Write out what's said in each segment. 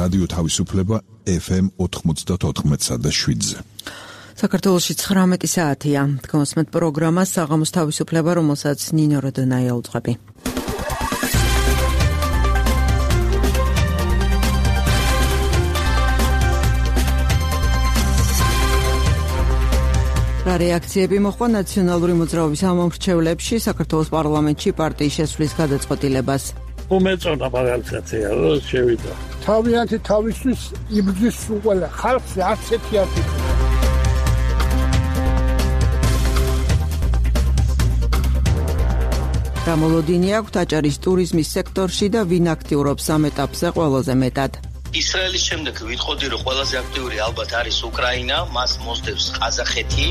რადიო თავისუფლება FM 94.7-ზე. საქართველოში 19 საათია. Თქვენსმეთ პროგრამას საღამოს თავისუფლება, რომელსაც ნინო როდონაია უძღვები. რეაქციები მოხდა ნაციონალური მოძრაობის ამომრჩევლებში საქართველოს პარლამენტში პარტიის შესვლის გადაწყვეტილებას. უმეწონა მაგალითია, რომ შევიდა. თავიანთი თავისთვის იბრძვის ყველა ხალხს არც ერთი არტიკლი. რამოლოდინი აქვს აჭარის ტურიზმის სექტორში და ვინ აქტიურობს ამ ეტაპზე ყველაზე მეტად. ისრაელის შემდეგ ვიტყოდი, რომ ყველაზე აქტიური ალბათ არის უკრაინა, მას მოსდევს ყაზახეთი.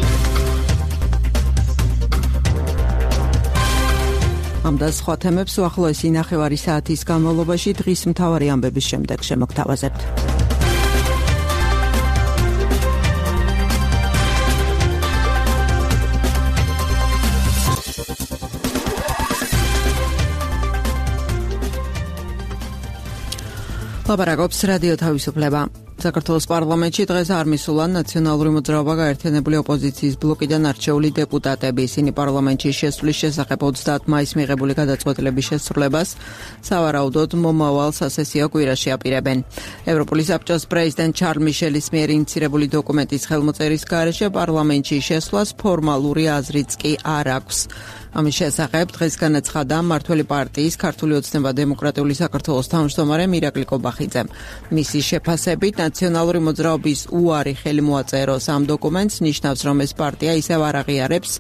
ამ და სხვა თემებს უახლოესი ნახევარი საათის განმავლობაში დღის მთავარი ამბების შემდეგ შემოგთავაზებთ. ლაპარაკობს რადიო თავისუფლება. საქართველოს პარლამენტში დღეს არ მისულან ნაციონალური მოძრაობა გაერთიანებული ოპოზიციის ბლოკიდან არჩეული დეპუტატები. ისინი პარლამენტში შესვლის შესახებ 30 მაისს მიღებული გადაწყვეტილების შესრულებას სავარაუდოდ მომავალ სასესიო კვირაში აპირებენ. ევროპული საბჭოს პრეზიდენტ ჩარლ მიშელის მიერ ინიცირებული დოკუმენტის ხელმოწერის გარეშე პარლამენტში შესვლას ფორმალური აზრიც კი არ აქვს. ამის შესახებ დღეს განაცხადა მმართველი პარტიის ქართული ოცნება დემოკრატიული საქართველოს თავმჯდომარე მირაკლი კობახიძემ. მისი შეფასებით ნაციონალური მოძრაობის უარი ხელი მოაწეროს ამ დოკუმენტს ნიშნავს, რომ ეს პარტია ისევ არ აღიარებს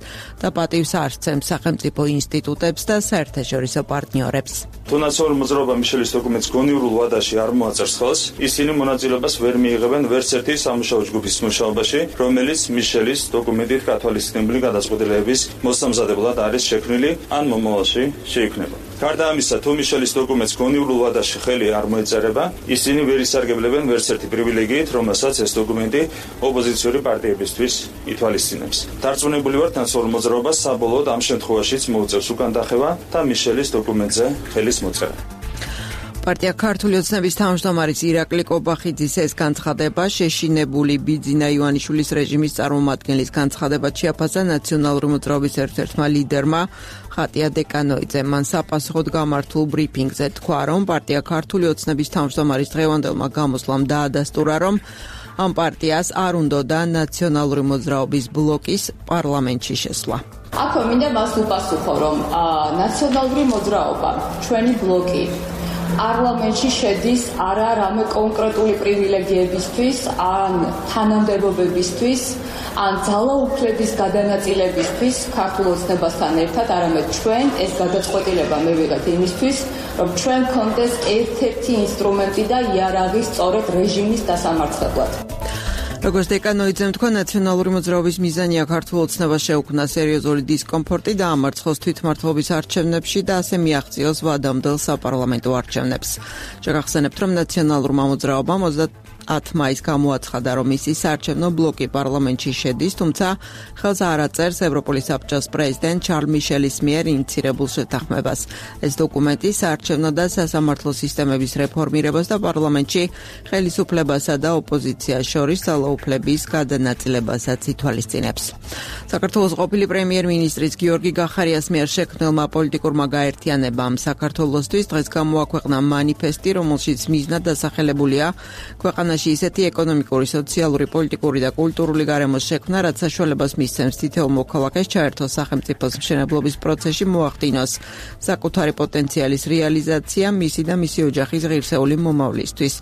და პატივს არ სცემს სახელმწიფო ინსტიტუტებს და საერთაშორისო პარტნიორებს. თუ ნაციონალური მოძრაობა მიშელის დოკუმენტს გონიურულ ვადაში არ მოაწერს ხელს, ისინი მონაწილეობას ვერ მიიღებენ ვერც ერთი სამუშაო ჯგუფის მუშაობაში, რომელიც მიშელის დოკუმენტით გათვალისწინებული გადაწყვეტილების მოსამზადებლად არის შექმნილი ან მომავალში შეიქმნება. გარდა ამისა, თუ მიშელის დოკუმენტს გონიურულ ვადაში ხელი არ მოეწერება, ისინი ვერ ისარგებლებენ ვერც ერთი პრივილეგიით, რომელსაც ეს დოკუმენტი ოპოზიციური პარტიებისთვის ითვალისწინებს. დარწმუნებული ვართ, ნაციონალურ მოძრაობას საბოლოოდ ამ შემთხვევაშიც მოუწევს უკან დახევა და მიშელის დოკუმენტზე ხელის მოწერა. პარტია ქართული ოცნების თავმჯდომარის ირაკლი კობახიძის ეს განცხადება შეშინებული ბიძინა ივანიშვილის რეჟიმის წარმომადგენლის განცხადებად შეაფასა ნაციონალური მოძრაობის ერთ-ერთმა ლიდერმა ხატია დეკანოიძემ. მან საპასუხოდ გამართულ ბრიფინგზე თქვა, რომ პარტია ქართული ოცნების თავმჯდომარის დღევანდელმა გამოსვლამ დაადასტურა, რომ ამ პარტიას არ უნდოდა ნაციონალური მოძრაობის ბლოკის პარლამენტში შესვლა. აქვე მინდა მას უპასუხო, რომ ნაციონალური მოძრაობა, ჩვენი ბლოკი პარლამენტში შედის არა რამე კონკრეტული პრივილეგიებისთვის, ან თანამდებობებისთვის, ან ძალაუფლების გადანაწილებისთვის ქართულ ოცნებასთან ერთად, არამედ ჩვენ ეს გადაწყვეტილება მივიღეთ იმისთვის, რომ ჩვენ გქონდეს ერთ-ერთი ინსტრუმენტი და იარაღი სწორედ რეჟიმის დასამარცხებლად. როგორც დეკანოიძემ თქვა, ნაციონალური მოძრაობის მიზანია ქართულ ოცნებას შეუქმნა სერიოზული დისკომფორტი და ამარცხოს თვითმმართველობის არჩევნებში და ასე მიაღწიოს ვადამდელ საპარლამენტო არჩევნებს. შეგახსენებთ, რომ ნაციონალურმა მოძრაობამ 10 მაისს გამოაცხადა, რომ ისი საარჩევნო ბლოკი პარლამენტში შედის, თუმცა ხელს არ აწერს ევროპული საბჭოს პრეზიდენტ ჩარლ მიშელის მიერ ინიცირებულ შეთანხმებას. ეს დოკუმენტი საარჩევნო და სასამართლო სისტემების რეფორმირებას და პარლამენტში ხელისუფლებასა და ოპოზიციას შორის ძალაუფლების გადანაწილებასაც ითვალისწინებს. საქართველოს ყოფილი პრემიერ-მინისტრის გიორგი გახარიას მიერ შექმნილმა პოლიტიკურმა გაერთიანებამ საქართველოსთვის დღეს გამოაქვეყნა მანიფესტი, რომელშიც მიზნად დასახელებულია ქვეყანაში ისეთი ეკონომიკური, სოციალური, პოლიტიკური და კულტურული გარემოს შექმნა, რაც საშუალებას მისცემს თითოეულ მოქალაქეს ჩაერთოს სახელმწიფოს მშენებლობის პროცესში, მოახდინოს საკუთარი პოტენციალის რეალიზაცია მისი და მისი ოჯახის ღირსეული მომავლისთვის.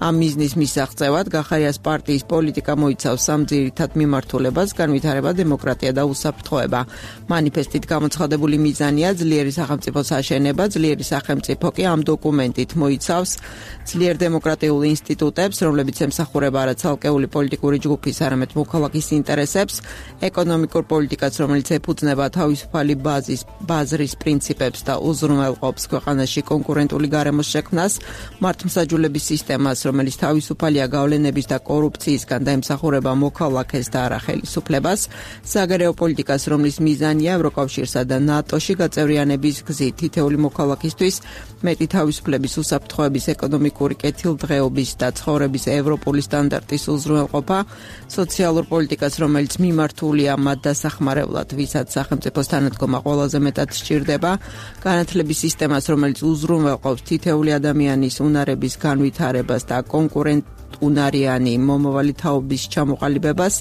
ამ მიზნის მისაღწევად გახარიას პარტიის პოლიტიკა მოიცავს სამ ძირითად მიმართულებას: განვითარება, დემოკრატია და უსაფრთხოება. მანიფესტით გამოცხადებული მიზანია ძლიერი სახელმწიფოს აშენება, ძლიერი სახელმწიფო კი ამ დოკუმენტით მოიცავს ძლიერ დემოკრატიულ ინსტიტუტებს, რომლებიც რომლებიც ემსახურება არა ცალკეული პოლიტიკური ჯგუფის, არამედ მოქალაქის ინტერესებს, ეკონომიკურ პოლიტიკას, რომელიც ეფუძნება თავისუფალი ბაზრის პრინციპებს და უზრუნველყოფს ქვეყანაში კონკურენტული გარემოს შექმნას, მართლმსაჯულების სისტემას, რომელიც თავისუფალია გავლენების და კორუფციისგან და ემსახურება მოქალაქეს და არა ხელისუფლებას, საგარეო პოლიტიკას, რომლის მიზანია ევროკავშირსა და ნატოში გაწევრიანების გზით თითეული მოქალაქისთვის მეტი თავისუფლების, უსაფრთხოების, ეკონომიკური კეთილდღეობის და ცხოვრების ევროპული სტანდარტის უზრუნველყოფა, სოციალურ პოლიტიკას, რომელიც მიმართულია მათ დასახმარებლად, ვისაც სახელმწიფოს თანადგომა ყველაზე მეტად სჭირდება, განათლების სისტემას, რომელიც უზრუნველყოფს თითეული ადამიანის უნარების განვითარებას და კონკურენტუნარიანი მომავალი თაობის ჩამოყალიბებას,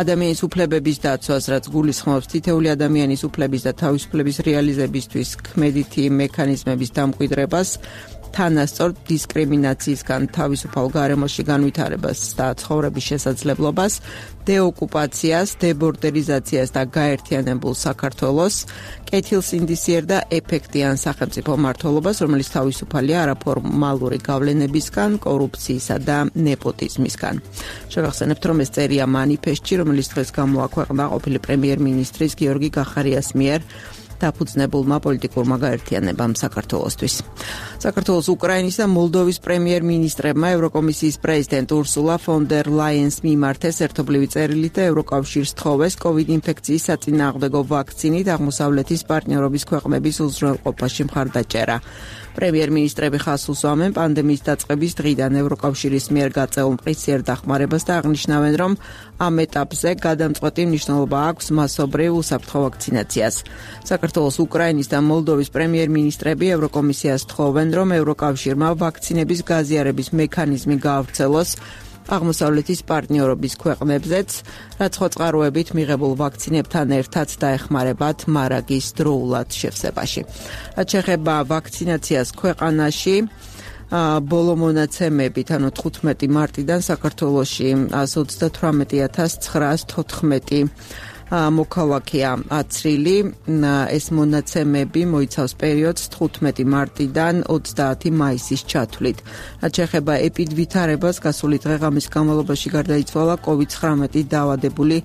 ადამიანის უფლებების დაცვას, რაც გულისხმობს თითეული ადამიანის უფლების და თავისუფლების რეალიზებისთვის ქმედითი მექანიზმების დამკვიდრებას, თანასწორ დისკრიმინაციისგან თავისუფალ გარემოში განვითარებას და ცხოვრების შესაძლებლობას, დეოკუპაციას, დებორდერიზაციას და გაერთიანებულ საქართველოს, კეთილსინდისიერ და ეფექტიან სახელმწიფო მმართველობას, რომელიც თავისუფალია არაფორმალური გავლენებისგან, კორუფციისა და ნეპოტიზმისგან. შევახსენებთ, რომ ეს წერია მანიფესტში, რომელიც დღეს გამოაქვეყნა ყოფილი პრემიერ-მინისტრის გიორგი გახარიას მიერ დაფუძნებულმა პოლიტიკურმა გაერთიანებამ საქართველოსთვის. საქართველოს, უკრაინის და მოლდოვის პრემიერ-მინისტრებმა ევროკომისიის პრეზიდენტ ურსულა ფონ დერ ლაიენს მიმართეს ერთობლივი წერილით და ევროკავშირს თხოვეს COVID ინფექციის საწინააღმდეგო ვაქცინით აღმოსავლეთის პარტნიორობის ქვეყნების უზრუნველყოფაში მხარდაჭერა. პრემიერ-მინისტრები ხაზს უსვამენ პანდემიის დაწყების დღიდან ევროკავშირის მიერ გაწეულ მყისიერ დახმარებას და აღნიშნავენ, რომ ამ ეტაპზე გადამწყვეტი მნიშვნელობა აქვს მასობრივ უსაფრთხო ვაქცინაციას. საქართველოს, უკრაინის და მოლდოვის პრემიერ-მინისტრები ევროკომისიას თხოვენ, რომ ევროკავშირმა ვაქცინების გაზიარების მექანიზმი გაავრცელოს აღმოსავლეთის პარტნიორობის ქვეყნებზეც, რაც ხოწყაროებით მიღებულ ვაქცინებთან ერთად დაეხმარებათ მარაგის დროულად შევსებაში. რაც შეეხება ვაქცინაციას ქვეყანაში, ბოლო მონაცემებით, ანუ 15 მარტიდან საქართველოში 138,914 მოქალაქეა აცრილი. ეს მონაცემები მოიცავს პერიოდს 15 მარტიდან 30 მაისის ჩათვლით. რაც შეეხება ეპიდვითარებას, გასული დღე-ღამის განმავლობაში გარდაიცვალა COVID-19 დაავადებული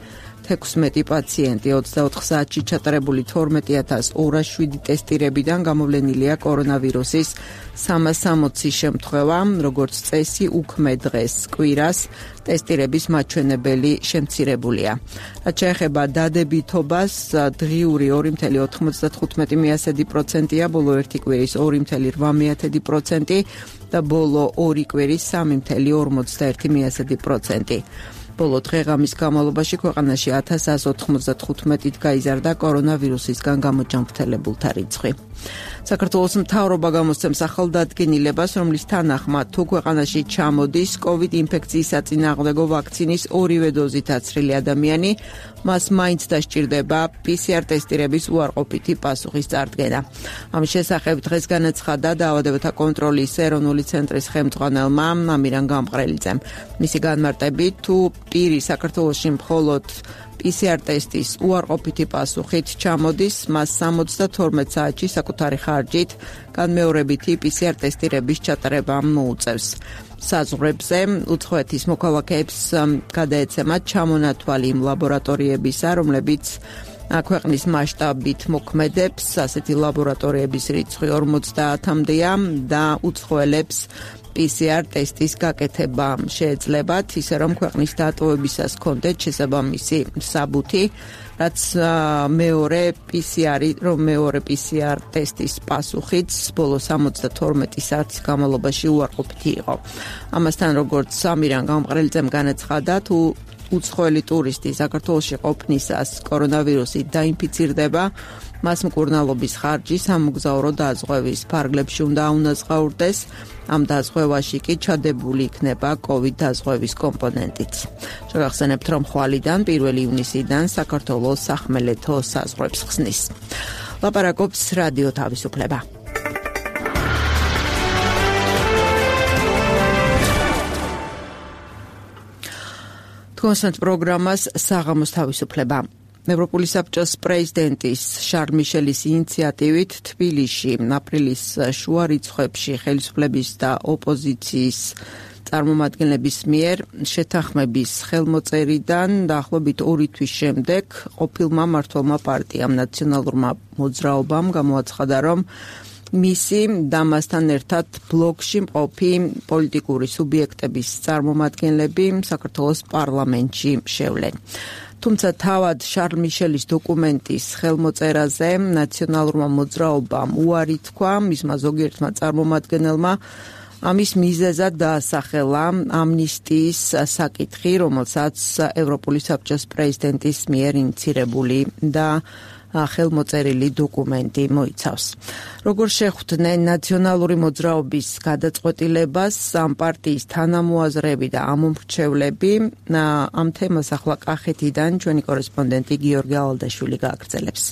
16 პაციენტი, 24 საათში ჩატარებული 12,207 ტესტირებიდან გამოვლენილია კორონავირუსის 360 შემთხვევა, როგორც წესი, უქმე დღეს, კვირას, ტესტირების მაჩვენებელი შემცირებულია. რაც შეეხება დადებითობას, დღიური 2,95%-ია, ბოლო ერთი კვირის 2,8% და ბოლო ორი კვირის 3,41%. ბოლო დღე-ღამის განმავლობაში ქვეყანაში 1195-ით გაიზარდა კორონავირუსისგან გამოჯანმრთელებულთა რიცხვი. საქართველოს მთავრობა გამოსცემს ახალდადგენილებას, რომლის თანახმად თუ ქვეყანაში ჩამოდის COVID ინფექციის საწინააღმდეგო ვაქცინის ორივე დოზით აცრილი ადამიანი, მას მაინც დასჭირდება PCR ტესტირების უარყოფითი პასუხის წარდგენა. ამის შესახებ დღეს განაცხადა დაავადებათა კონტროლის ეროვნული ცენტრის ხელმძღვანელმა ამირან გამყრელიძემ. მისი განმარტებით, თუ პირი საქართველოში მხოლოდ PCR ტესტის უარყოფითი პასუხით ჩამოდის, მას 72 საათში საკუთარი ხარჯით განმეორებითი PCR ტესტირების ჩატარება მოუწევს. საზღვრებზე უცხოეთის მოქალაქეებს გადაეცემათ ჩამონათვალი იმ ლაბორატორიებისა, რომლებიც ქვეყნის მასშტაბით მოქმედებს, ასეთი ლაბორატორიების რიცხვი 50-მდეა და უცხოელებს PCR ტესტის გაკეთება შეეძლებათ, ისე რომ ქვეყნის დატოვებისას ჰქონდეთ შესაბამისი საბუთი, რაც მეორე PCR ტესტის პასუხიც ბოლო 72 საათის განმავლობაში უარყოფითი იყო. ამასთან, როგორც ამირან გამყრელიძემ განაცხადა, თუ უცხოელი ტურისტი საქართველოში ყოფნისას კორონავირუსით დაინფიცირდება, მას მკურნალობის ხარჯი სამოგზაურო დაზღვევის ფარგლებში უნდა აუნაზღაურდეს. ამ დაზღვევაში კი ჩადებული იქნება COVID დაზღვევის კომპონენტიც. შევახსენებთ, რომ ხვალიდან 1 ივნისიდან საქართველოს სახმელეთო საზღვრებს ხსნის. ლაპარაკობს რადიო თავისუფლება. თქვენს პროგრამას საღამოს თავისუფლება. ევროპული საბჭოს პრეზიდენტის შარლ მიშელის ინიციატივით თბილისში აპრილის შუა რიცხვებში ხელისუფლების და ოპოზიციის წარმომადგენლების მიერ შეთანხმების ხელმოწერიდან დაახლოებით 2 თვის შემდეგ ყოფილმა მმართველმა პარტიამ ნაციონალურმა მოძრაობამ გამოაცხადა, რომ მისი და მასთან ერთად ბლოკში მყოფი პოლიტიკური სუბიექტების წარმომადგენლები საქართველოს პარლამენტში შევლენ. თუმცა თავად შარლ მიშელის დოკუმენტის ხელმოწერაზე ნაციონალურმა მოძრაობამ უარი თქვა, მისმა ზოგიერთმა წარმომადგენელმა ამის მიზეზად დაასახელა ამნისტიის საკითხი, რომელსაც ევროპული საბჭოს პრეზიდენტის მიერ ინიცირებული და ხელმოწერილი დოკუმენტი მოიცავს. Როგორ შეხვდნენ ნაციონალური მოძრაობის გადაწყვეტილებას ამ პარტიის თანამოაზრეები და ამომრჩევლები, ამ თემას ახლა კახეთიდან ჩვენი კორესპონდენტი გიორგი ალადაშვილი გააგრძელებს.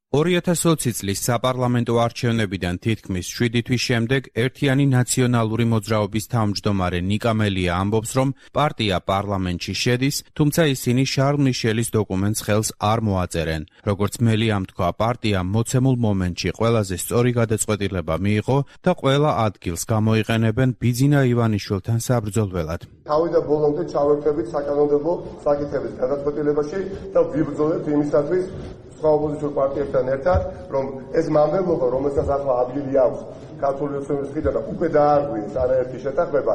2020 წლის საპარლამენტო არჩევნებიდან თითქმის 7 თვის შემდეგ ერთიანი ნაციონალური მოძრაობის თავმჯდომარე ნიკა მელია ამბობს, რომ პარტია პარლამენტში შედის, თუმცა ისინი შარლ მიშელის დოკუმენტს ხელს არ მოაწერენ. Როგორც მელიამ თქვა, პარტიამ მოცემულ მომენტში ყველაზე სწორი გადაწყვეტილება მიიღო და ყველა ადგილს გამოიყენებენ ბიძინა ივანიშვილთან საბრძოლველად. თავიდან ბოლომდე ჩავერთებით საკანონმდებლო საკითხების გადაწყვეტილებაში და ვიბრძოლებთ იმისათვის ოპოზიციურ პარტიებთან ერთად, რომ ეს მამრებლობა, რომელსაც ახლა ადგილი აქვს ქართული ოცნების მხრიდან და უკვე დაარღვიეს არაერთი შეთანხმება,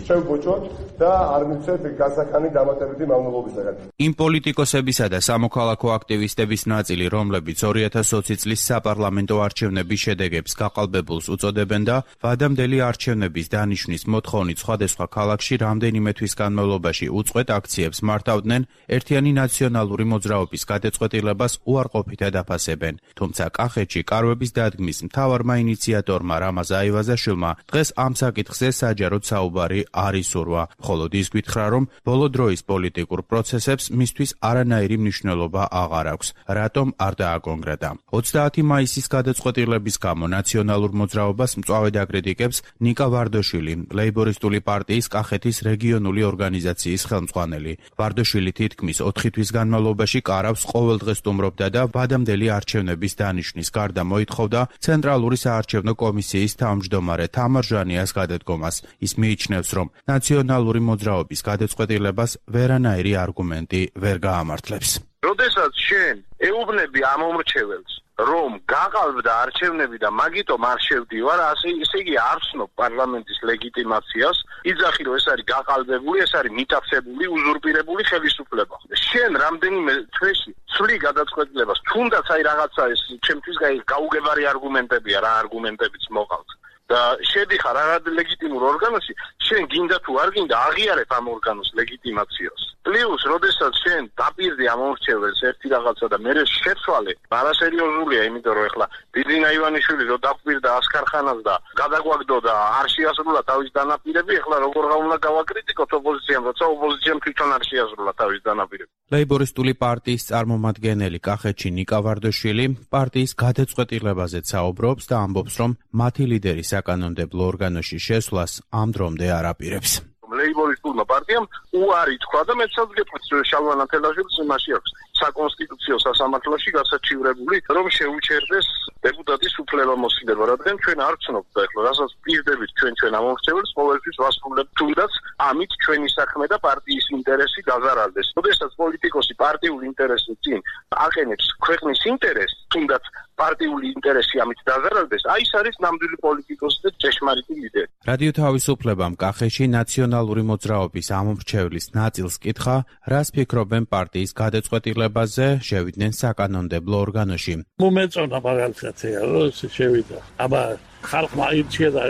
შევბოჭოთ და არ მივცეთ გასახანი დამატებითი მავნებლობისაგან. იმ პოლიტიკოსებისა და სამოქალაქო აქტივისტების ნაწილი, რომლებიც 2020 წლის საპარლამენტო არჩევნების შედეგებს გაყალბებულს უწოდებენ და ვადამდელი არჩევნების დანიშვნის მოთხოვნით სხვადასხვა ქალაქში რამდენიმე თვის განმავლობაში უწყვეტ აქციებს მართავდნენ, ერთიანი ნაციონალური მოძრაობის გადაწყვეტილებას უარყოფითად აფასებენ. თუმცა კახეთში კარვების დადგმის მთავარმა ინიციატორმა რამაზ აივაზაშვილმა დღეს ამ საკითხზე საჯაროდ საუბარი არ ისურვა, მხოლოდ ის გითხრა, რომ ბოლო დროის პოლიტიკურ პროცესებს მისთვის არანაირი მნიშვნელობა აღარ აქვს, რატომ არ დააკონკრეტა. 30 მაისის გადაწყვეტილების გამო ნაციონალურ მოძრაობას მწვავედ აკრიტიკებს ნიკა ვარდოშვილი, ლეიბორისტული პარტიის კახეთის რეგიონული ორგანიზაციის ხელმძღვანელი. ვარდოშვილი თითქმის 4 თვის განმავლობაში კარავს ყოველდღე სტუმრობდა და ვადამდელი არჩევნების დანიშვნის გარდა მოითხოვდა ცენტრალური საარჩევნო კომისიის თავმჯდომარე თამარ ჟანიას გადადგომას. ის მიიჩნევს, რომ ნაციონალური მოძრაობის გადაწყვეტილებას ვერანაირი არგუმენტი ვერ გაამართლებს. როდესაც შენ ეუბნები ამომრჩეველს, რომ გაყალბდა არჩევნები და მაგიტომ არ შევდივარ, ესე იგი არ ვცნობ პარლამენტის ლეგიტიმაციას, იძახი რომ ეს არის გაყალბებული, ეს არის მიტაცებული, უზურპირებული ხელისუფლება. შენ რამდენიმე თვეში ცვლი გადაწყვეტილებას, თუნდაც აი რაღაცა ეს ჩემთვის გაუგებარი არგუმენტებია, რა არგუმენტებიც მოყავთ. და შედიხარ არად ლეგიტიმურ ორგანოში, შენ გინდა თუ არ გინდა აღიარებ ამ ორგანოს ლეგიტიმაციას. პლუს, როდესაც შენ დაპირდი ამომრჩეველს ერთი რაღაცა და მე შეცვალე, არასერიოზულია, იმიტომ რომ ეხლა ბიძინა ივანიშვილი რო დაკვირდა ასკარხანას და გადაგვაგდო და არ შეასრულა თავის დანაპირები, ეხლა როგორ უნდა გავაკრიტიკოთ ოპოზიციამ, როცა ოპოზიციამ თვითონ არ შეასრულა თავის დანაპირები. ლეიბორისტული პარტიის წარმომადგენელი კახეთში ნიკა ვარდოშვილი პარტიის გადაწყვეტილებაზეც საუბრობს და ამბობს, რომ მათი ლიდერი საკანონმდებლო ორგანოში შესვლას ამ დრომდე არ აპირებს. ლეიბორისტულმა პარტიამ უარი თქვა და მეცაც გეტყვით შალვა ნათელაშვილს იმაში აქვს საკონსტიტუციო სასამართლოში გასაჩივრებული, რომ შეუჩერდეს დეპუტატის უფლებამოსილება, რადგან ჩვენ არ ვცნობთ და ეხლა რასაც პირდებით ჩვენ ამომრჩეველს ყოველთვის ვასრულებთ, თუნდაც ამით ჩვენი საქმე და პარტიის ინტერესი დაზარალდეს. როდესაც პოლიტიკოსი პარტიულ ინტერესს წინ აყენებს ქვეყნის ინტერესს, თუნდაც პარტიული ინტერესი ამით დაზარალდეს, აი ეს არის ნამდვილი პოლიტიკოსი და ჭეშმარიტი ლიდერი. რადიო თავისუფლებამ კახეთში ნაციონალური მოძრაობის ამომრჩევლის ნაწილს კითხა, რას ფიქრობენ პარტიის გადაწყვეტილებაზე, შევიდნენ საკანონმდებლო ორგანოში. მომეწონა მაგალითად რომ შევიდა. აბა ხალხმა ირჩია და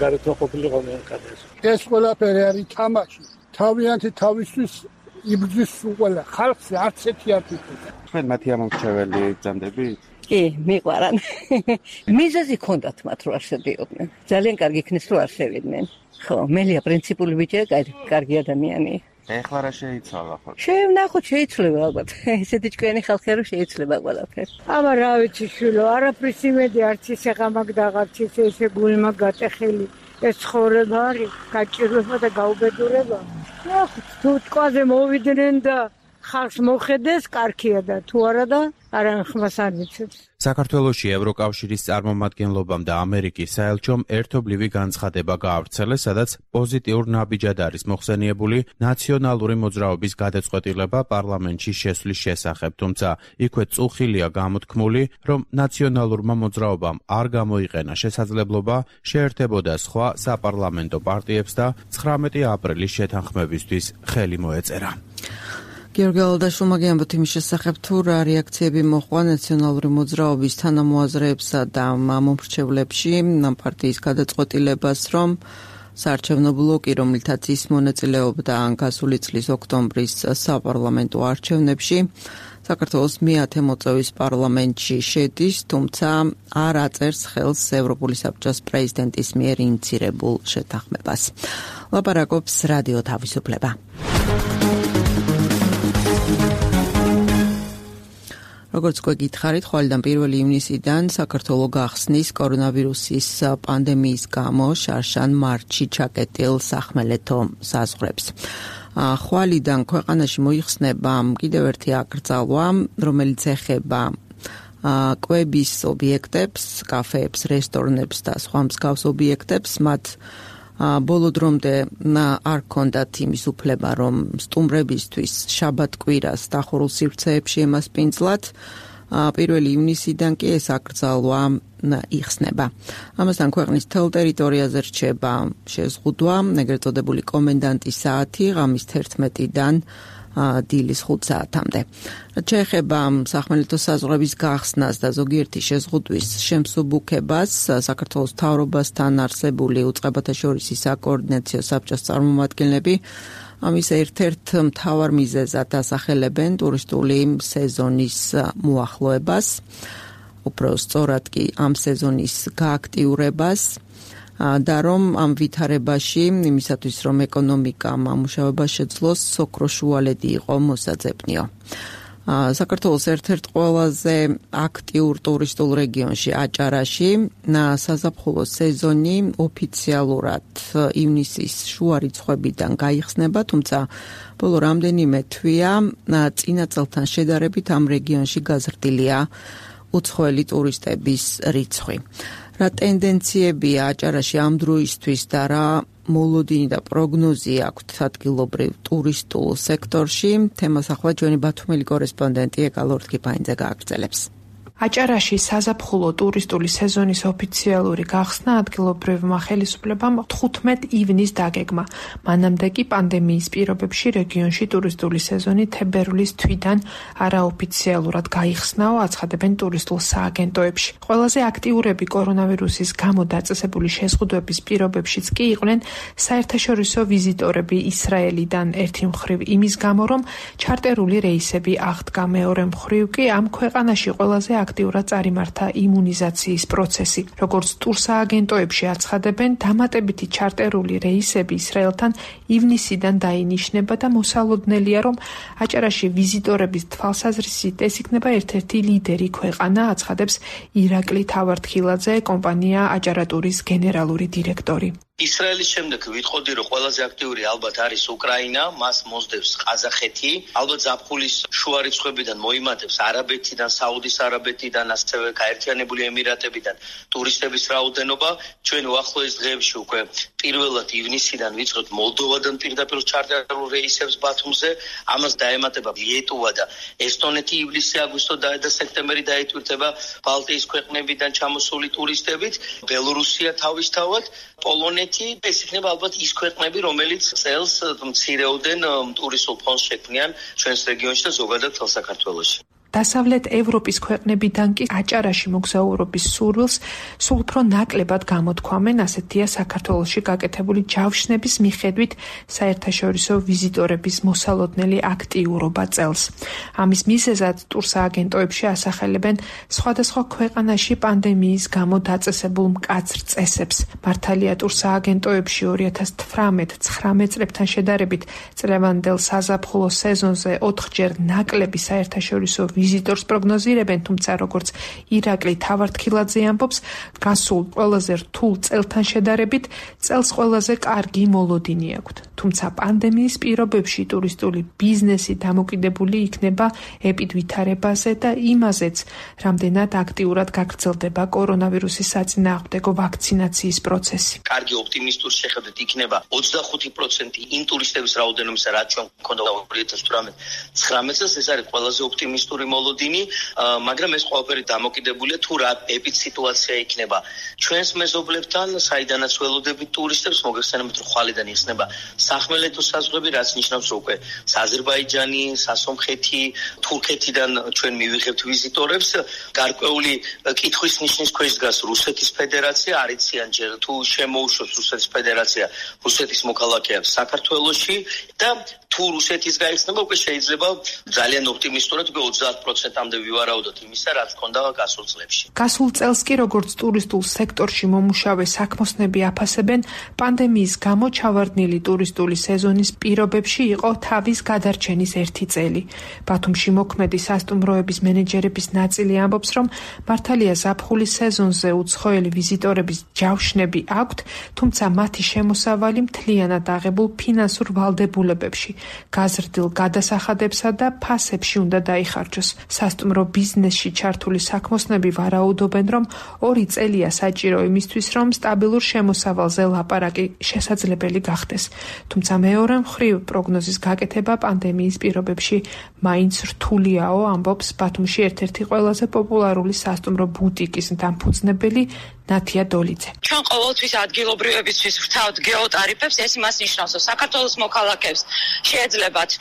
გარეთმა ყოფილიყო მენკადეს. ეს ყველაფერი არის თამაში. თავიანთი თავისთვის იბრძვის ყველა ხალხს არც ერთი არ ფიქრობს. თქვენ მათი ამომრჩეველი გძანდებით? კი, მიყვარან. მიზეზი ჰქონდათ მათ რომ არ შედიოდნენ. ძალიან კარგი იქნეს რომ არ შევიდნენ. ხო, მელია პრინციპული ბიჭია, კარგი ადამიანი. ეხლა რა შეიცვალა ხო? შევნახოთ, შეიცვლება ალბათ. ესეთი ჭკვიანი ხალხია რომ შეიცვლება ყველაფერი. აბა რა ვიცი შვილო, არაფრის იმედი არც ისე ღამაკ და არც ისე გულმა გატეხილი. ეს ცხოვრება არის, გაჭირვება და გაუბედურება. ნახოთ, თუ ტყვაზე მოვიდნენ და ხალხს მოხედეს, კარგია და თუ არა და არა ხმას არ მიცემს. საქართველოში ევროკავშირის წარმომადგენლობამ და ამერიკის საელჩომ ერთობლივი განცხადება გაავრცელეს, სადაც პოზიტიურ ნაბიჯად არის მოხსენიებული ნაციონალური მოძრაობის გადაწყვეტილება პარლამენტში შესვლის შესახებ, თუმცა იქვე წუხილია გამოთქმული, რომ ნაციონალურმა მოძრაობამ არ გამოიყენა შესაძლებლობა შეერთებოდა სხვა საპარლამენტო პარტიებს და 19 აპრილის შეთანხმებისთვის ხელი მოეწერა. გიორგი ალდაშვილმა გიამბოთ იმის შესახებ, თუ რა რეაქციები მოჰყვა ნაციონალური მოძრაობის თანამოაზრეებსა და მომრჩევლებში ამ პარტიის გადაწყვეტილებას, რომ საარჩევნო ბლოკი, რომლითაც ის მონაწილეობდა გასული წლის ოქტომბრის საპარლამენტო არჩევნებში, საქართველოს მე-10 მოწვევის პარლამენტში შედის, თუმცა არ აწერს ხელს ევროპული საბჭოს პრეზიდენტის მიერ ინიცირებულ შეთანხმებას. ლაპარაკობს რადიო თავისუფლება. როგორც გვეკითხარით, ხვალიდან 1 ივნისიდან საქართველო გახსნის კორონავირუსის პანდემიის გამო შარშან მარტში ჩაკეტილ სახმელეთო საზღვრებს. ხვალიდან ქვეყანაში მოიხსნება კიდევ ერთი აკრძალვა, რომელიც ეხება კვების ობიექტებს, კაფეებს, რესტორნებს და სხვა მსგავს ობიექტებს, მათ ბოლო დრომდე არ ჰქონდათ იმის უფლება, რომ სტუმრებისთვის შაბათ-კვირას დახურულ სივრცეებში ემასპინძლათ. 1 ივნისიდან კი ეს აკრძალვა იხსნება. ამასთან ქვეყნის მთელ ტერიტორიაზე რჩება შეზღუდვა, ეგრეთ წოდებული კომენდანტის საათი ღამის 11-დან დილის 5 საათამდე. შეეხება სახმელეთო საზღვრების გახსნას და ზოგიერთი შეზღუდვის შემსუბუქებას, საქართველოს მთავრობასთან არსებული უწყებათა შორისი საკოორდინაციო საბჭოს წარმომადგენლები ამის ერთ-ერთ მთავარ მიზეზად ასახელებენ ტურისტული სეზონის მოახლოებას, უფრო სწორად კი ამ სეზონის გააქტიურებას და რომ ამ ვითარებაში იმისათვის რომ ეკონომიკა ამუშავება შეძლოს, ოქროს შუალედი იყო მოსაძებნიო. საქართველოს ერთ-ერთ ყველაზე აქტიურ ტურისტულ რეგიონში აჭარაში საზაფხულო სეზონი ოფიციალურად ივნისის შუა რიცხვებიდან გაიხსნება, თუმცა ბოლო რამდენიმე თვეა წინა წელთან შედარებით ამ რეგიონში გაზრდილია უცხოელი ტურისტების რიცხვი. რა ტენდენციებია აჭარაში ამ დროისთვის და რა მოლოდინი და პროგნოზი აქვთ ადგილობრივ ტურისტულ სექტორში? თემას ახლა ჩვენი ბათუმელი კორესპონდენტი ეკალორთ კიფაინძე გააგრძელებს. აჭარაში საზაფხულო ტურისტული სეზონის ოფიციალური გახსნა ადგილობრივმა ხელისუფლებამ 15 ივნისს დაგეგმა. მანამდე კი პანდემიის პირობებში რეგიონში ტურისტული სეზონი თებერვლის თვიდან არაოფიციალურად გაიხსნაო, აცხადებენ ტურისტულ სააგენტოებში. ყველაზე აქტიურები კორონავირუსის გამო დაწესებული შეზღუდვების პირობებშიც კი იყვნენ საერთაშორისო ვიზიტორები ისრაელიდან, ერთი მხრივ იმის გამო, რომ ჩარტერული რეისები აღდგა, მეორე მხრივ კი ამ ქვეყანაში ყველაზე აქტიურად წარიმართა იმუნიზაციის პროცესი. როგორც ტურსააგენტოებში აცხადებენ, დამატებითი ჩარტერული რეისები ისრაელთან ივნისიდან დაინიშნება და მოსალოდნელია, რომ აჭარაში ვიზიტორების თვალსაზრისით ეს იქნება ერთ-ერთი ლიდერი ქვეყანა, აცხადებს ირაკლი თავართხილაძე, კომპანია აჭარატურის გენერალური დირექტორი. ისრაელის შემდეგ ვიტყოდი, რომ ყველაზე აქტიური ალბათ არის უკრაინა, მას მოსდევს ყაზახეთი, ალბათ ზაფხულის შუა რიცხვებიდან მოიმატებს არაბეთიდან, საუდის არაბეთიდან, ასევე გაერთიანებული ემირატებიდან ტურისტების რაოდენობა. ჩვენ უახლოეს დღეებში უკვე პირველად ივნისიდან ვიწყებთ მოლდოვადან პირდაპირ ჩარტერულ რეისებს ბათუმზე, ამას დაემატება ლიეტუვა და ესტონეთი ივლისი, აგვისტო და სექტემბერი დაეთვირთება ბალტიის ქვეყნებიდან ჩამოსული ტურისტებით, ბელორუსია თავისთავად, პოლონეთი. ეს იქნება ალბათ ის ქვეყნები, რომელიც წელს მცირეოდენ ტურისტულ ფონს შექმნიან ჩვენს რეგიონში და ზოგადად თელ საქართველოში. დასავლეთ ევროპის ქვეყნებიდან კი აჭარაში მოგზაურობის სურვილს სულ უფრო ნაკლებად გამოთქვამენ, ასეთია საქართველოში გაკეთებული ჯავშნების მიხედვით საერთაშორისო ვიზიტორების მოსალოდნელი აქტიურობა წელს. ამის მიზეზად ტურსააგენტოებში ასახელებენ სხვადასხვა ქვეყანაში პანდემიის გამო დაწესებულ მკაცრ წესებს. მართალია ტურსააგენტოებში 2018-19 წლებთან შედარებით წლევანდელ საზაფხულო სეზონზე 4ჯერ ნაკლები საერთაშორისო ვიზიტორს პროგნოზირებენ, თუმცა როგორც ირაკლი თავართხილაძე ამბობს, გასულ ყველაზე რთულ წელთან შედარებით წელს ყველაზე კარგი მოლოდინი აქვთ. თუმცა პანდემიის პირობებში ტურისტული ბიზნესი დამოკიდებული იქნება ეპიდვითარებაზე და იმაზეც, რამდენად აქტიურად გაგრძელდება კორონავირუსის საწინააღმდეგო ვაქცინაციის პროცესი. კარგი ოპტიმისტური შეხედვით იქნება 25% იმ ტურისტების რაოდენობის, რაც ჩვენ გვქონდა 2018-19 წელს, ეს არის ყველაზე ოპტიმისტური მოლოდინი, მაგრამ ეს ყველაფერი დამოკიდებულია თუ რა ეპიდსიტუაცია იქნება ჩვენს მეზობლებთან, საიდანაც ველოდებით ტურისტებს, მოგეხსენებათ, რომ ხვალიდან იხსნება სახმელეთო საზღვრები, რაც ნიშნავს, რომ უკვე აზერბაიჯანი, სასომხეთი, თურქეთიდან ჩვენ მივიღებთ ვიზიტორებს. გარკვეული კითხვის ნიშნის ქვეშ დგას რუსეთის ფედერაცია, არიციან ჯერ თუ შემოუშვებს რუსეთის ფედერაცია რუსეთის მოქალაქეებს საქართველოში და თუ რუსეთის გაიხსნება, უკვე შეიძლება ძალიან ოპტიმისტურად უკვე 30%-მდე ვივარაუდოთ იმისა, რაც ჰქონდა გასულ წლებში. გასულ წელს კი როგორც ტურისტულ სექტორში მომუშავე საქმოსნები აფასებენ, პანდემიის გამო ჩავარდნილი ტურისტული სეზონის პირობებში იყო თავის გადარჩენის ერთი წელი. ბათუმში მოქმედი სასტუმროების მენეჯერების ნაწილი ამბობს, რომ მართალია ზაფხულის სეზონზე უცხოელი ვიზიტორების ჯავშნები აქვთ, თუმცა მათი შემოსავალი მთლიანად აღებულ ფინანსურ ვალდებულებებში, გაზრდილ გადასახადებსა და ფასებში უნდა დაიხარჯოს. სასტუმრო ბიზნესში ჩართული საქმოსნები ვარაუდობენ, რომ 2 წელია საჭირო იმისთვის, რომ სტაბილურ შემოსავალზე ლაპარაკი შესაძლებელი გახდეს. თუმცა მეორე მხრივ პროგნოზის გაკეთება პანდემიის პირობებში მაინც რთულიაო, ამბობს ბათუმში ერთ-ერთი ყველაზე პოპულარული სასტუმრო ბუტიკის დამფუძნებელი ნათია დოლიძე. ჩვენ ყოველთვის ადგილობრივებისთვის ვრთავთ გეოტარიფებს, ეს იმას ნიშნავს, რომ საქართველოს მოქალაქეებს შეეძლებათ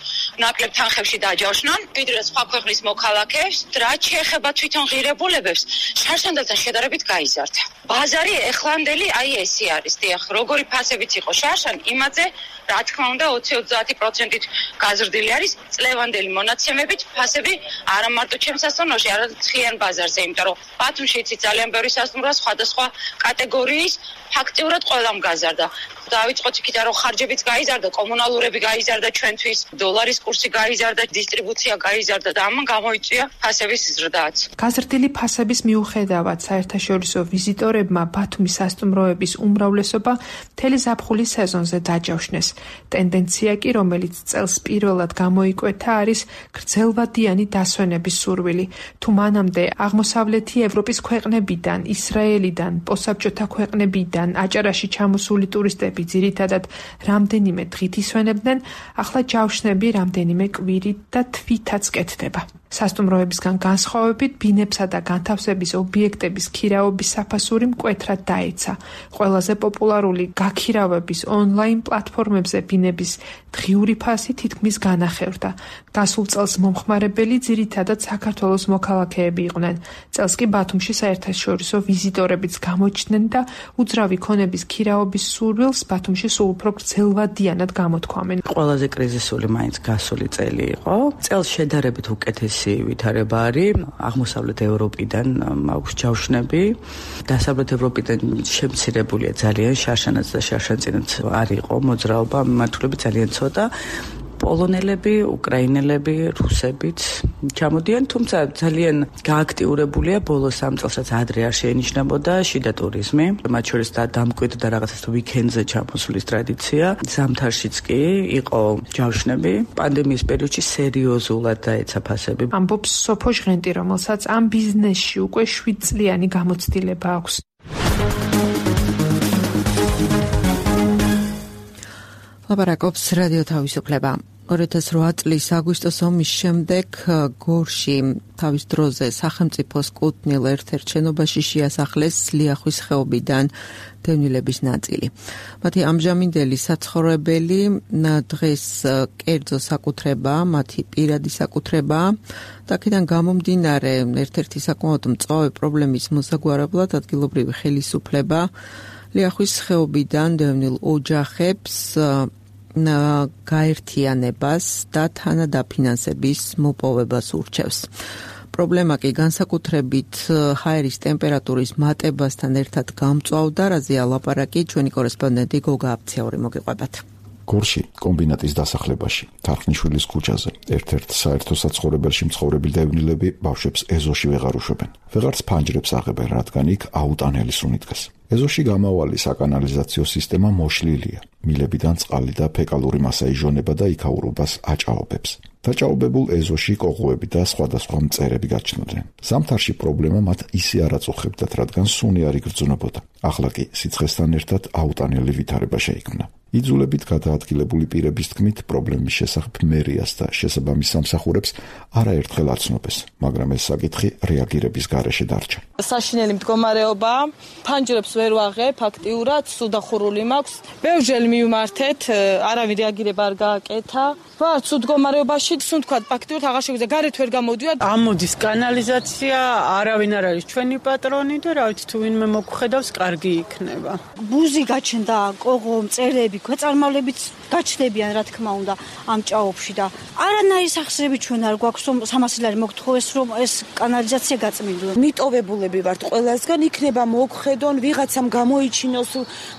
ნაკლებ თანხებში დაჯავშნან, ვიდრე სხვა ქვეყნის მოქალაქეებს, რაც შეეხება თვითონ ღირებულებებს, შარშანდელთან შედარებით გაიზარდა. ბაზარი ეხლანდელი აი ესე არის, დიახ, როგორი ფასებიც იყო შარშან, იმაზე რა თქმა უნდა 20-30%-ით გაზრდილი არის წლევანდელი მონაცემებით ფასები არა მარტო ჩემს სასტუმროში, არამედ მთლიან ბაზარზე, იმიტომ რომ ბათუმში იცით ძალიან ბევრი სასტუმროა სხვადასხვა კატეგორიის, ფაქტიურად ყველამ გაზარდა. დავიწყოთ იქიდან, რომ ხარჯებიც გაიზარდა, კომუნალურები გაიზარდა ჩვენთვის, დოლარის კურსი გაიზარდა, დისტრიბუცია გაიზარდა და ამან გამოიწვია ფასების ზრდაც. გაზრდილი ფასების მიუხედავად, საერთაშორისო ვიზიტორებმა ბათუმის სასტუმროების უმრავლესობა მთელი ზაფხულის სეზონზე დაჯავშნეს. ტენდენცია კი, რომელიც წელს პირველად გამოიკვეთა, არის გრძელვადიანი დასვენების სურვილი. თუ მანამდე აღმოსავლეთი ევროპის ქვეყნებიდან, ისრაელიდან, პოსტსაბჭოთა ქვეყნებიდან აჭარაში ჩამოსული ტურისტები ძირითადად რამდენიმე დღით ისვენებდნენ, ახლა ჯავშნები რამდენიმე კვირით და თვითაც კეთდება. სასტუმროებისგან განსხვავებით, ბინებსა და განთავსების ობიექტების ქირაობის საფასური მკვეთრად დაეცა. ყველაზე პოპულარული გაქირავების ონლაინ პლატფორმებზე ბინების დღიური ფასი თითქმის განახევრდა. გასულ წელს მომხმარებელი ძირითადად საქართველოს მოქალაქეები იყვნენ. წელს კი ბათუმში საერთაშორისო ვიზიტორებიც გამოჩნდნენ და უძრავი ქონების ქირაობის სურვილს ბათუმში სულ უფრო გრძელვადიანად გამოთქვამენ. ყველაზე კრიზისული მაინც გასული წელი იყო. წელს შედარებით უკეთესი ვითარება არის. აღმოსავლეთ ევროპიდან აქვს ჯავშნები. დასავლეთ ევროპიდან შემცირებულია ძალიან, შარშანაც და შარშანწინაც არ იყო მოძრაობა, მიმართულები ძალიან ცოტა. პოლონელები, უკრაინელები, რუსებიც ჩამოდიან, თუმცა ძალიან გააქტიურებულია ბოლო 3 წელსაც ადრე არ შეენიშნებოდა შიდა ტურიზმი. მათ შორის დამკვიდრდა და რაღაცას ვიკენდზე ჩამოსვლის ტრადიცია. ზამთარშიც კი იყო ჯავშნები. პანდემიის პერიოდში სერიოზულად დაეცა ფასები. ამბობს სოფო ჟღენტი, რომელსაც ამ ბიზნესში უკვე 7 წლიანი გამოცდილება აქვს. ლაპარაკობს რადიო თავისუფლება. 2008 წლის აგვისტოს ომის შემდეგ გორში თავის დროზე სახელმწიფოს კუთვნილ ერთ-ერთ შენობაში შეასახლეს ლიახვის ხეობიდან დევნილების ნაწილი. მათი ამჟამინდელი საცხოვრებელი დღეს კერძო საკუთრება, მათი პირადი საკუთრება და აქედან გამომდინარე ერთ-ერთი საკმაოდ მწვავე პრობლემის მოსაგვარებლად ადგილობრივი ხელისუფლება ლიახვის ხეობიდან დევნილ ოჯახებს გაერთიანებას და თანადაფინანსების მოპოვებას ურჩევს. პრობლემა კი განსაკუთრებით ჰაერის ტემპერატურის მატებასთან ერთად გამწვავდა, რაზეა ლაპარაკი ჩვენი კორესპონდენტი გოგა აფციაური მოგიყვებათ. გორში კომბინატის დასახლებაში, თარხნიშვილის ქუჩაზე, ერთ-ერთ საერთო საცხოვრებელში მცხოვრები დევნილები ბავშვებს ეზოში ვეღარ უშვებენ. ვეღარც ფანჯრებს აღებენ, რადგან იქ აუტანელი სუნი დგას. ეზოში გამავალი საკანალიზაციო სისტემა მოშლილია. მილებიდან წყალი და ფეკალური მასა ижონება და იქაურობას აჭაობებს. დაჭაობებულ ეზოში კოღოები და სხვადასხვა მწერები გაჩნდნენ. ზამთარში პრობლემა მათ ისე არ აწუხებდათ, რადგან სუნი არ იგრძნობოდა. ახლა კი სიცხესთან ერთად აუტანელი ვითარება შეიქმნა. იძულებით გადაადგილებული პირების თქმით, პრობლემის შესახებ მერიას და შესაბამის სამსახურებს არაერთხელ აცნობეს, მაგრამ ეს საკითხი რეაგირების გარეშე დარჩა. საშინელი მდგომარეობა, ფანჯრებს ვერ ვაღებ, ფაქტიურად სუდახურული მაქვს. ბევრჯერ მივმართეთ, არავინ რეაგირება არ გააკეთა. ვარ ცუდ მდგომარეობაში, სულ თქვა, ფაქტიურად აღარ შეგვიძლია, გარეთ ვერ გამოდივარ. ამოდის კანალიზაცია, არავინ არ არის ჩვენი პატრონი და რა ვიცი, თუ ვინმე მოგხედავს, კარგი იქნება. ბუზი გაჩნდა, კოღო, მწერები, ქვეწარმავლებიც გაჩნდებიან, რა თქმა უნდა, ამ ჭაობში და არანაირი სახსრები ჩვენ არ გვაქვს, რომ 300 ლარი მოგთხოვეს, რომ ეს კანალიზაცია გაწმინდონ. მიტოვებულები ვართ ყველასგან, იქნება მოგხედონ, ვიღაცამ გამოიჩინოს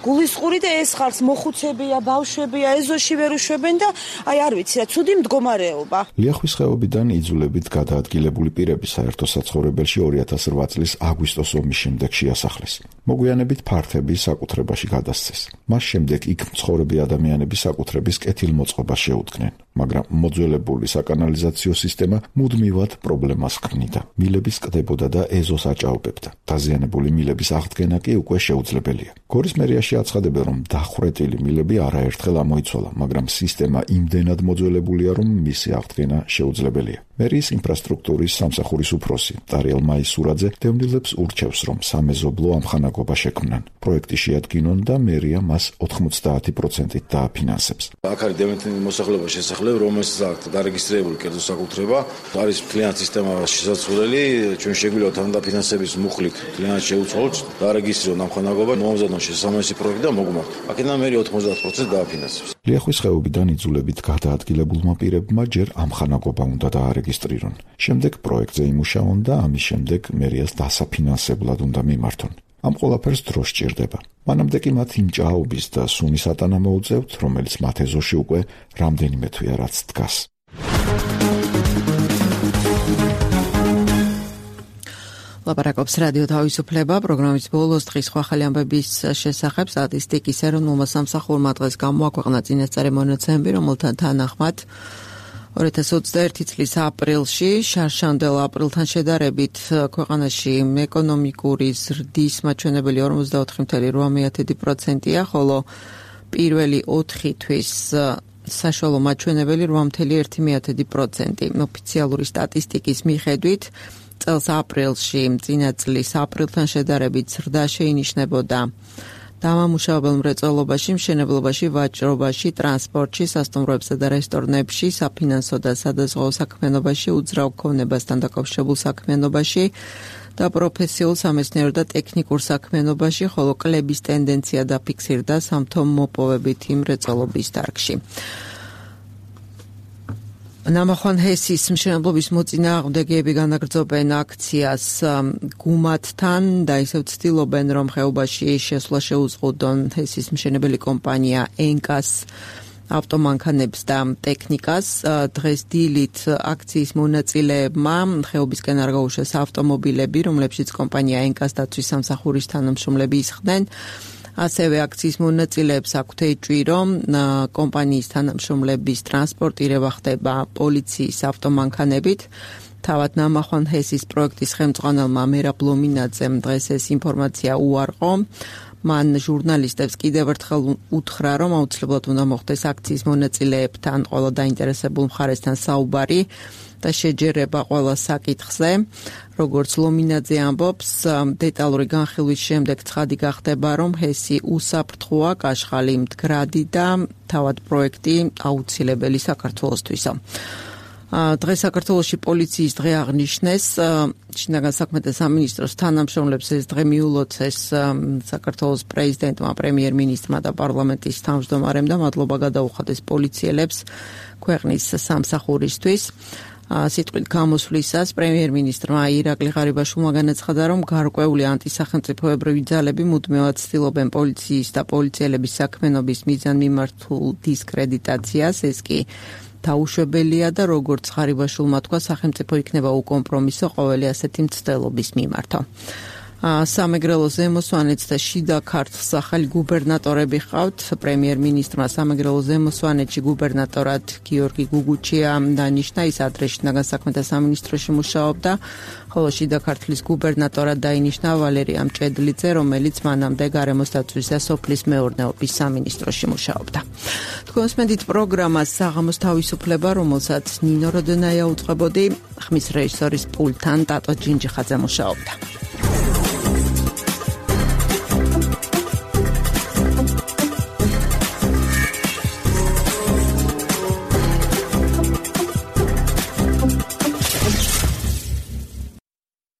გულისყური და ეს ხალხს მოხუცებია, ბავშვებია, ეზოში ვერ უშვებენ და აი არ ვიცი რა, ცუდი მდგომარეობა. ლიახვის ხეობიდან იძულებით გადაადგილებული პირები საერთო საცხოვრებელში 2008 წლის აგვისტოს ომის შემდეგ შეასახლეს. მოგვიანებით ფართები საკუთრებაში გადასცეს. მას შემდეგ იქ მცხოვრები ადამიანები საკუთრების კეთილმოწყობას შეუდგნენ, მაგრამ მოძველებული საკანალიზაციო სისტემა მუდმივად პრობლემას ქმნიდა. მილების კდებოდა და ეზოს აჭაობებდა. დაზიანებული მილების აღდგენა კი უკვე შეუძლებელია. გორის მერიაში აცხადებენ, რომ დახვრეტილი მილები არაერთხელ ამოიცვალა, მაგრამ სისტემა იმდენად მოძველებულია, რომ მისი აღდგენა შეუძლებელია. მერიის ინფრასტრუქტურის სამსახურის უფროსი ტარიელ მაისურაძე დევნილებს ურჩევს, რომ სამეზობლო ამხანაგობა შექმნან. პროექტი შეადგინონ და მერია მას 90% დააფინანსებს. აქ არის დევნილთა მოსახლეობა შესახლებ, რომელსაც აქვს დარეგისტრირებული კერძო საკუთრება, არის მთლიანი სისტემა შესაძლებელი, ჩვენ შეგვიძლია თანდაფინანსების მუხლით მთლიანად შევუწყოთ, დარეგისტრირონ ამხანაგობა, მომზადონ შესაბამისი პროექტი და მოგმართ. აქედან მერია 90% დააფინანსებს. ლიახვის ხეობიდან იძულებით გადაადგილებულმა პირებმა ჯერ ამხანაგობა უნდა დაარეგისტრირონ. შემდეგ პროექტზე იმუშაონ და ამის შემდეგ მერიას დასაფინანსებლად უნდა მიმართონ. ამ ყველაფერს დრო სჭირდება. მანამდე კი მათ იმ ჭაობის და სუნის ატანა მოუწევთ, რომელიც მათ ეზოში უკვე რამდენიმე თვეა რაც დგას. ლაპარაკობს რადიო თავისუფლება, პროგრამის ბოლოს დღის ხვალ ამბების შესახებ სტატისტიკის ეროვნულმა სამსახურმა დღეს გამოაქვეყნა წინასწარი მონაცემები, რომელთა თანახმად 2021 წლის აპრილში შარშანდელ აპრილთან შედარებით ქვეყანაში ეკონომიკური ზრდის მაჩვენებელი 44.8%-ია, ხოლო პირველი 4 თვის საშუალო მაჩვენებელი 8.1%. ოფიციალური სტატისტიკის მიხედვით წელს აპრილში წინა წლის აპრილთან შედარებით ზრდა შეინიშნებოდა დამამუშავებელ მრეწველობაში, მშენებლობაში, ვაჭრობაში, ტრანსპორტში, სასტუმროებსა და რესტორნებში, საფინანსო და სადაზღვევო საქმიანობაში, უძრავ ქონებასთან დაკავშირებულ საქმიანობაში და პროფესიულ, სამეცნიერო და ტექნიკურ საქმიანობაში, ხოლო კლების ტენდენცია დაფიქსირდა სამთო-მოპოვებითი მრეწველობის დარგში. ნამახვან ჰესის მშენებლობის მოწინააღმდეგეები განაგრძობენ აქციას გუმათთან და ისევ ცდილობენ, რომ ხეობაში შესვლა შეუზღუდონ ჰესის მშენებელი კომპანია ენკას ავტომანქანებს და ტექნიკას. დღეს დილით აქციის მონაწილეებმა ხეობისკენ არ გაუშვეს ავტომობილები, რომლებშიც კომპანია ენკას დაცვის სამსახურის თანამშრომლები ისხდნენ. ასევე აქციის მონაწილეებს აქვთ ეჭვი, რომ კომპანიის თანამშრომლების ტრანსპორტირება ხდება პოლიციის ავტომანქანებით. თავად ნამახვან ჰესის პროექტის ხელმძღვანელმა მერაბ ლომინაძემ დღეს ეს ინფორმაცია უარყო. მან ჟურნალისტებს კიდევ ერთხელ უთხრა, რომ აუცილებლად უნდა მოხდეს აქციის მონაწილეებთან, ყველა დაინტერესებულ მხარესთან საუბარი და შეჯერება ყველა საკითხზე. როგორც ლომინაძე ამბობს, დეტალური განხილვის შემდეგ ცხადი გახდება, რომ ჰესი უსაფრთხოა, კაშხალი მდგრადი და თავად პროექტი აუცილებელი საქართველოსთვისა. დღეს საქართველოში პოლიციის დღე აღნიშნეს, შინაგან საქმეთა სამინისტროს თანამშრომლებს ეს დღე მიულოცეს საქართველოს პრეზიდენტმა, პრემიერ-მინისტრმა და პარლამენტის თავმჯდომარემ და მადლობა გადაუხადეს პოლიციელებს ქვეყნის სამსახურისთვის. სიტყვით გამოსვლისას პრემიერ-მინისტრმა ირაკლი ღარიბაშვილმა განაცხადა, რომ გარკვეული ანტისახელმწიფოებრივი ძალები მუდმივად ცდილობენ პოლიციის და პოლიციელების საქმიანობის მიზანმიმართულ დისკრედიტაციას, ეს კი დაუშვებელია და როგორც ღარიბაშვილმა თქვა, სახელმწიფო იქნება უკომპრომისო ყოველი ასეთი მცდელობის მიმართ. სამეგრელო ზემოსვანეც და შიდა ქართლს ახალი გუბერნატორები ყავთ. პრემიერ-მინისტრმა სამეგრელო ზემოსვანეთში გუბერნატორად გიორგი გუგუჩია დანიშნა, ის ადრე შინაგან საქმეთა სამინისტროში მუშაობდა, ხოლო შიდა ქართლის გუბერნატორად დაინიშნა ვალერია მჭედლიძე, რომელიც მანამდე გარემოს დაცვის და სოფლის მეურნეობის სამინისტროში მუშაობდა. თქვენს მედით პროგრამას საღამოს თავისუფლება, რომელსაც ნინო როდონაია უწყებოდი, ხმის რეჟისორის პულტთან ტატო ჯინჯიხაძე მუშაობდა.